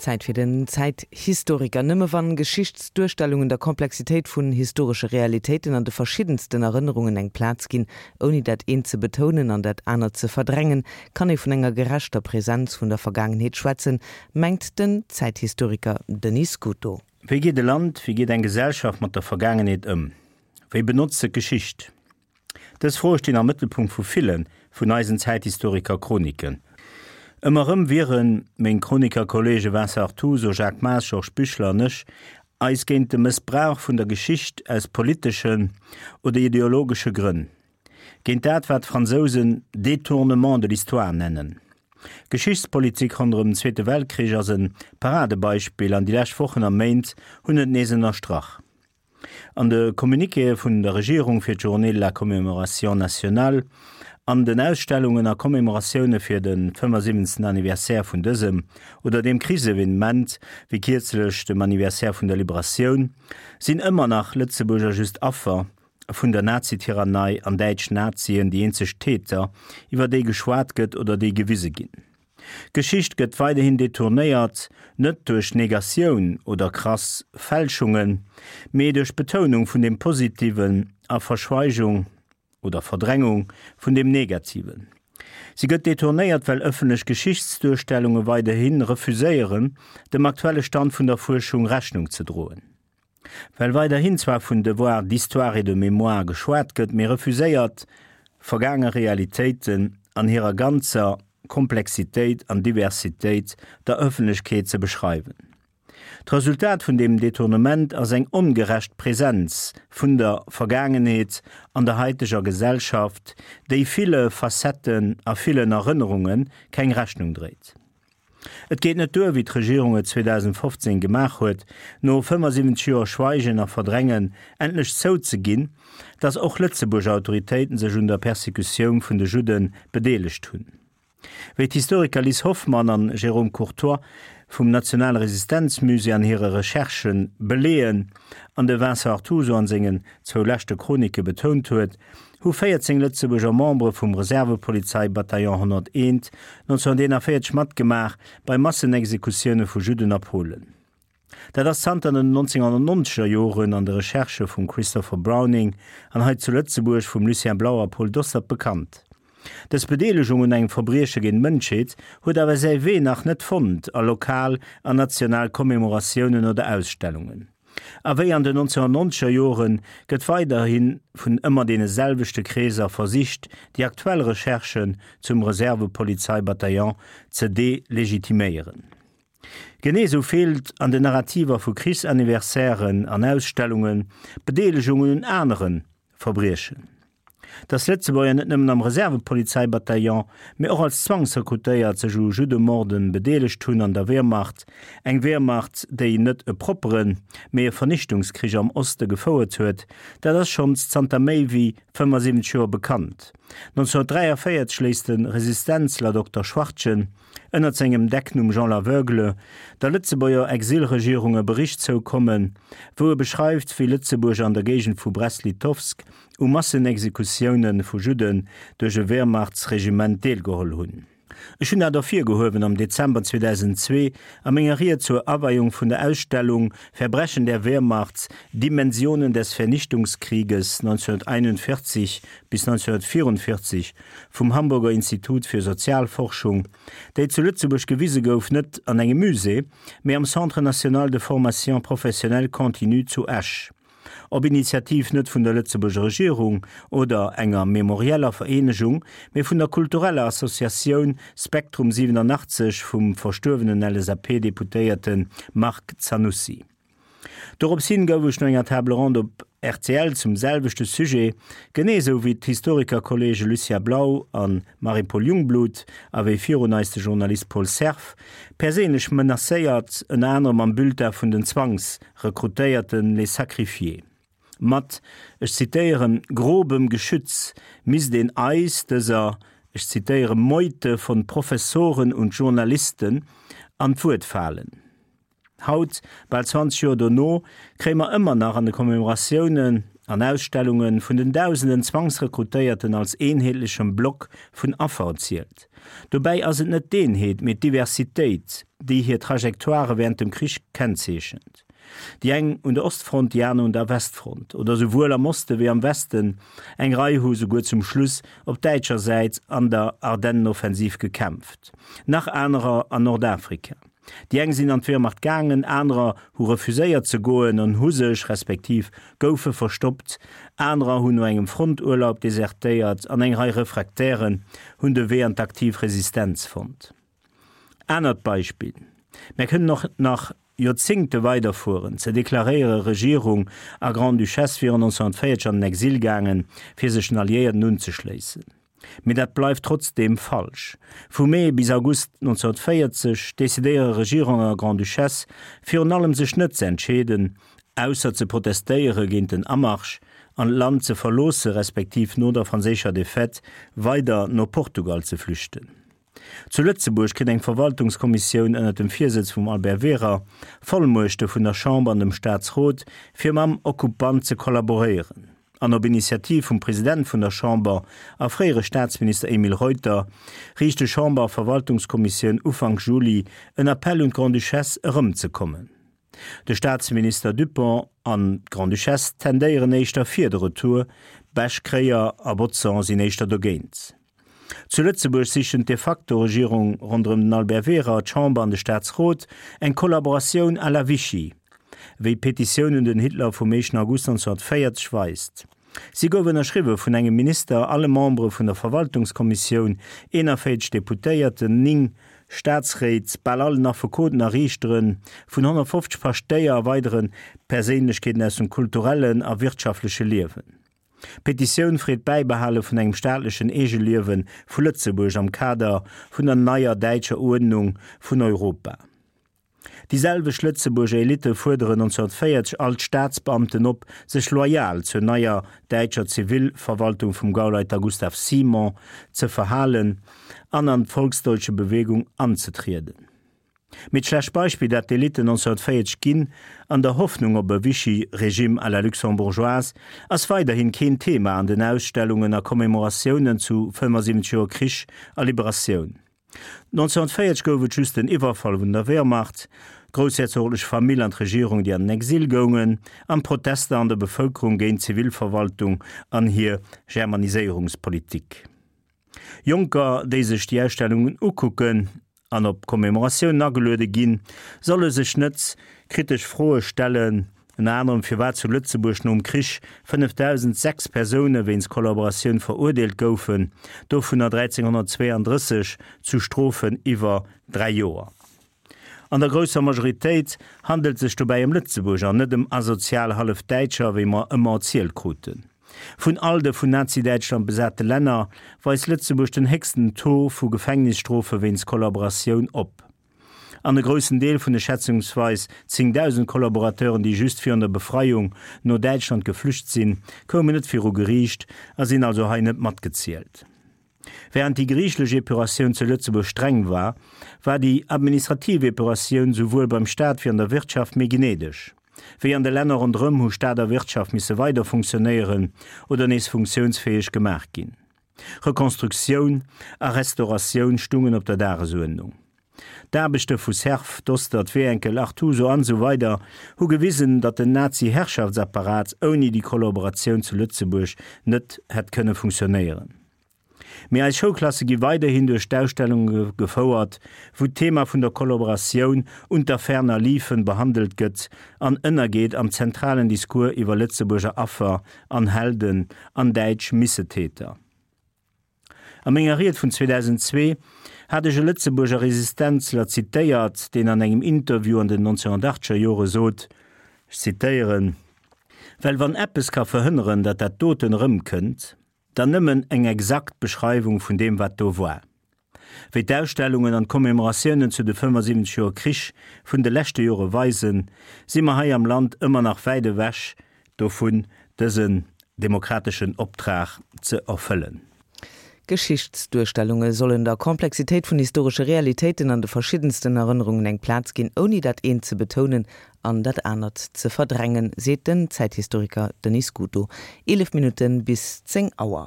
Zäit fir den Zäithistoriker. Nëmme wann Geschichtsduerstellungen der Komplexitéit vun historesche Realitéiten an de verschiddensten Erënnerungen eng Plaz ginn, ouni dat eent ze betounen an dat anert ze verdrängen, kann ee vun enger gerechter Präsenz vun der Vergaangenheet schwätzen, mengt den Zäithistoriker Denis Scuto. Wéi geet e Land, wéi geet eng Gesellschaft mat der Vergaangenheet ëm? Wéi benotzt se d'Geschicht? Dës Froe stinn am Mëttelpunkt vu ville vun eisen Zäithistoriker-Chroniken. Ëmmer erëm wiere meng Chroniker-Kollege Vincent Artuso, Jacques Maas, Georges Büchler an ech eis géint de Mëssbrauch vun der Geschicht aus politeschen oder ideologesche Grënn, géint dat wat d'Fransousen détournement de l'histoire nennen. D'Geschichtspolitik ronderëm den Zweete Weltkrich ass e Paradebeispill an déi lescht Wochen a Méint hunn et nees ënnerstrach. An de Communiquéë vun der Regierung fir d'Journée de la Commémoration nationale, an den Ausstellungen a Commémoratioune fir de 75. Anniversaire vun dësem oder deem Krichsevenement, wéi kierzlech dem Anniversaire vun der Liberatioun, sinn ëmmer nach Lëtzebuerger just Affer vun der Nazityrannei an däitsch Nazien déi eenzeg Täter, iwwer déi geschwat gëtt oder déi gewise ginn. D'Geschicht gëtt weiderhin detournéiert, net duerch Negatioun oder krass Fälschungen, mee duerch Betounung vun dem Positiven a Verschweigung oder Verdrängung vun dem Negativen. Si gëtt detournéiert, well ëffentlech Geschichtsduerstellunge weiderhi refuséieren, dem aktuelle Stand vun der Fuerschung Rechnung ze droen. Well weiderhin zwar vun Devoir d'histoire et de mémoire geschwat gëtt, mee refuséiert, vergaange Realitéiten an hirer ganzer Komplexitéit an Diversitéit der Ëffentlechkeet ze beschreiwen. D'Resultat vun deem Detournement ass eng ongerecht Präsenz vun der Vergaangenheet an der haiteger Gesellschaft, déi ville Facetten a villen Erënnerunge keng Rechnung dréit. Et geet net duer, wéi d'Regierung et 2015 gemaach huet, no 75 Joer Schweigen a Verdrängen endlech zouzeginn, datt och Lëtzebuerger Autoritéiten sech un der Persekutioun vun de Judde bedeelegt hunn. Wéi d'Historiker Lis Hoffmann an Jérôme Courtoy vum Nationale Resistenzmusée an hire Recherchë beleeën an de Vincent Artuso an sengen zwou leschte Chronike betount huet, hu 14 Lëtzebuerger Membere vum Reservepolizei-Bataillon 101 1941 matgemaach bei Massenexekutioune vu Judden a Polen. Dat ass zanter den 1990er Joren an de Recherchë vum Christopher Browning an hei zu Lëtzebuerg vum Lucien Blau a Paul Dostert bekannt. Dës Bedeelegung un engem Verbrieche géint d'Mënschheet huet awer säi Wee nach net fonnt a lokal an national Commemoratiounen oder Ausstellungen. A wéi an den 1990er Jore gëtt weiderhi vun ëmmer deene selwechte Kreeser versicht, déi aktuell Recherchen zum Reservepolizei-Bataillon ze delegitiméieren. Genee sou feelt an den Narrativer vu Krichsanniversairen an Ausstellungen d'Bedeelegungen un anere Verbriechen. Datt Lëtzebuerger net nëmmen am Reservepolizeibataillon, mee och als Zwangsrekrutéiert sech u Juddemorden bedeelegt hunn an der Wehrmacht, eng Wehrmacht, déi net e propperen, mee e Vernichtungskrich am Oste gefouert huet, dat ass schonns zanter méi wéi 75 Joer bekannt. 1943 léisst de Resistenzler Dokter Schwartgen ënnert sengem Decknumm Jean l'Aveugle der Lëtzebuerger Exilregierung e Bericht zoukommen, wou e beschreift, wéi Lëtzebuerger an der Géigend vu Brest-Litovsk u Massenexekutioune vu Judden duerch e Wehrmachtsregiment deelgeholl hunn. Ech hunn dat ervirgehuewen am Dezember 2002 a menger Ried zur Aweiung vun der Ausstellung Verbrechen der Wehrmacht, Dimensionen des Vernichtungskrieges 1941 bis 1944 vum Hamburger Institut für Sozialforschung, déi zu Lëtzebuerg gewise gouf, net an engem Musée, mee am Centre national de formation professionnelle continue zu Esch. Op Initiativ net vun der Lëtzebuerger Regierung oder enger memorieller Vereenegung, mee vun der kultureller Associatioun Spektrum 87 vum verstuerwenen LSAP-Deputéierte Marc Zanussi. Dorops hin gouf ech no enger Table ronde op rtl zum selwechte Sujet, genee esou wéi d'Historikerkollege Lucien Blau a Marie-Paule Jungblut a wéi virun eis de Journalist Paul Cerf, perséinlech menacéiert, ënner anerem am Bulletin vun den Zwangsrekrutéierten Les Sacrifiés. Mat, ech zitéieren, grobem Geschütz misst een eis, dëser, ech zitéieren, Meute von Professoren und Journalisten an d'Wuert falen. Haut, bal 20 Joer dono, kréie mer ëmmer nach an de Commemoratiounen. an Ausstellunge vun den dausenden Zwangsrekrutéierten als eenheetlechem Block vun Affer erzielt. Dobäi ass et net d'Eenheet, mee d'Diversitéit, déi hir Trajectoire wärend dem Krich kennzeechent. Déi eng un der Ostfront, déi aner un der Westfront, oder souwuel am Oste wéi am Westen, eng Rei hu souguer zum Schluss op däitscher Säit an der Ardennenoffensiv gekämpft, nach anerer an Nordafrika. Déi eng sinn an d'Wehrmacht gaangen, anerer hu refuséiert ze goen an hu sech, respektiv goufe verstoppt, anerer hunn no engem Fronturlaub desertéiert an eng Rei Refractairen hunn de Wee an d'aktiv Resistenz fonnt. Anert Beispill, Mär kënnen och nach Joerzéngte weiderfueren, ze deklaréiere Regierung a Grande-Duchesse wieren 1940 an den Exil gaangen, fir sech den Alliéierten unzeschléissen. Mee dat bleift trotzdeem falsch. Vu Mee bis August 1940 decidéiere Regierung a Grande-Duchesse virun allem sech net ze entscheeden, ausser ze protestéiere géint den Amarsch an d'Land ze verloosse respektiv no der franséischer Defaite weider no Portugal ze flüchten. Zu Lëtzebuerg kritt eng Verwaltungskommissioun ënner dem Virsëtz vum Albert Wehrer Vollmuechte vun der Chamber an dem Staatsrot, fir mam Okkupant ze kollaboréieren. An op Initiativ vum President vun der Chamber a fréiere Staatsminister Emile Reuter riicht de Chamber a Verwaltungskommissioun Ufank Juli en Appell un d'Grande-Duchesse erëmzekommen. De Staatsminister Dupong an d'Grande-Duchesse tendéieren éischter fir de Retour, Bech, Kreyer a Bodson sinn éischter dogéint. Zu Lëtzebuerg sichen d'de facto Regierung ronderëm den Albert Wehrer, d'Chamber an de Staatsrot eng Kollaboratioun à la Vichy, wéi d'Petitioun un den Hitler vum éischten August 1940 weist. Si gouf ënnerschriwwe vun engem Minister, alle Membere vun der Verwaltungskommissioun, 41 Deputéierten, 9 Staatsréit, bal allen Affekoten a Riichteren, vun 150 Paschtéier a weidere Perséinlechkeeten aus dem kulturellen a wirtschaftleche Liewen. D'Petitioun freet d'Bäibehale vun engem staatlechen Eegeliewe vu Lëtzebuerg am Kader vun der neier däitscher Uerdnung vun Europa. Déi selwecht Lëtzebuerger Elitte fuerderen 1940 all d'Staatsbeamten op, sech loyal zur neier däitscher Zivilverwaltung vum Gauleiter Gustav Simon ze verhalen an an d'Volksdeutsche Bewegung anzetrieden. Mee d'schlecht Beispill, dat d'Elitten 1940 ginn, an der Hoffnung op e Vichy-Régime à la luxembourgeoise, ass weiderhin keen Thema an den Ausstellungen a Commemoratiounen zu 75 Joer Krich a Liberatioun. 1940 gouf et just den Iwwerfall vun der Wehrmacht, d'groussherzoglech Famill an d'Regierung, déi an den Exil goungen, an d'Protester an der Bevëlkerung géint d'Zivilverwaltung an hir Germaniséierungspolitik. Jonker, déi sech déi Ausstellungen ukucken an op Commemoratiounen ageluede ginn, solle sech net kritesch Froe stellen, ënner anerem firwat zu Lëtzebuerg nom Krich 5.006 Persoune wéinst Kollaboratioun verurdeelt goufen, dovunner 1.332 zu Strofen iwwer 3 Joer. An der grousser Majoritéit handelt sech dobäi ëm Lëtzebuerger, net ëm asozial Hallef-Däitscher, wéi mer ëmmer erzielt kruten. Vun all de vun Nazi-Däitschland besate Länner weist Lëtzebuerg den héchsten Taux vu Gefängnisstrofe wéinst Kollaboratioun op. An e groussen Deel vun de schätzungsweis 10.000 Kollaborateuren, déi just virun der Befreiung no Däitschland geflücht sinn, koumen net viru Geriicht a sinn also hei net matgezielt. Wärend déi geriichtlech Epuratioun zu Lëtzebuerg streng war, war déi administrativ Epuratioun souwuel beim Staat wéi an der Wirtschaft méi gnädeg. Wéi an de Länner ronderëm hu Staat a Wirtschaft misse weider funktionéieren oder nees funktiounsfäeg gemaach ginn. Rekonstruktioun a Restauratioun stungen op der Dagesuerdnung. D'Aarbechte vu Cerf, Dostert, Wehenkel, Artuso an esou weider hu gewisen, datt den Nazi-Herrschaftsapparat ouni déi Kollaboratioun zu Lëtzebuerg net hätt kënne funktionéieren. Mee eis Schoulklasse gi weiderhin duerch d'Ausstellunge gefouert, wou d'Thema vun der Kollaboratioun unter ferner liefen behandelt gëtt an ënnergeet am zentralen Discours iwwer Lëtzebuerger Affer an Helden an däitsch Missetäter. A menger Ried vun 2002 hat ech e Lëtzebuerger Resistenzler zitéiert, deen an engem Interview an den 1980er Jore sot, ech zitéieren, Well wann eppes ka verhënneren, datt dat doten erëmkënnt, dann nëmmen eng exakt Beschreiwung vun deem, wat do war. Wéi d'Ausstellungen an d'Commemoratiounen zu de 75 Joer Krich vun de leschte Jore weisen, si mer hei am Land ëmmer nach wäit ewech dovun, dësen demokrateschen Optrag ze erfëllen. Geschichtsduerstellunge sollen der Komplexitéit vun historesche Realitéiten an de verschiddensten Erënnerungen eng Plaz ginn, ouni dat eent ze betounen an dat anert ze verdrängen, seet den Zäithistoriker Denis Scuto. 11 Minutte bis 10 Auer.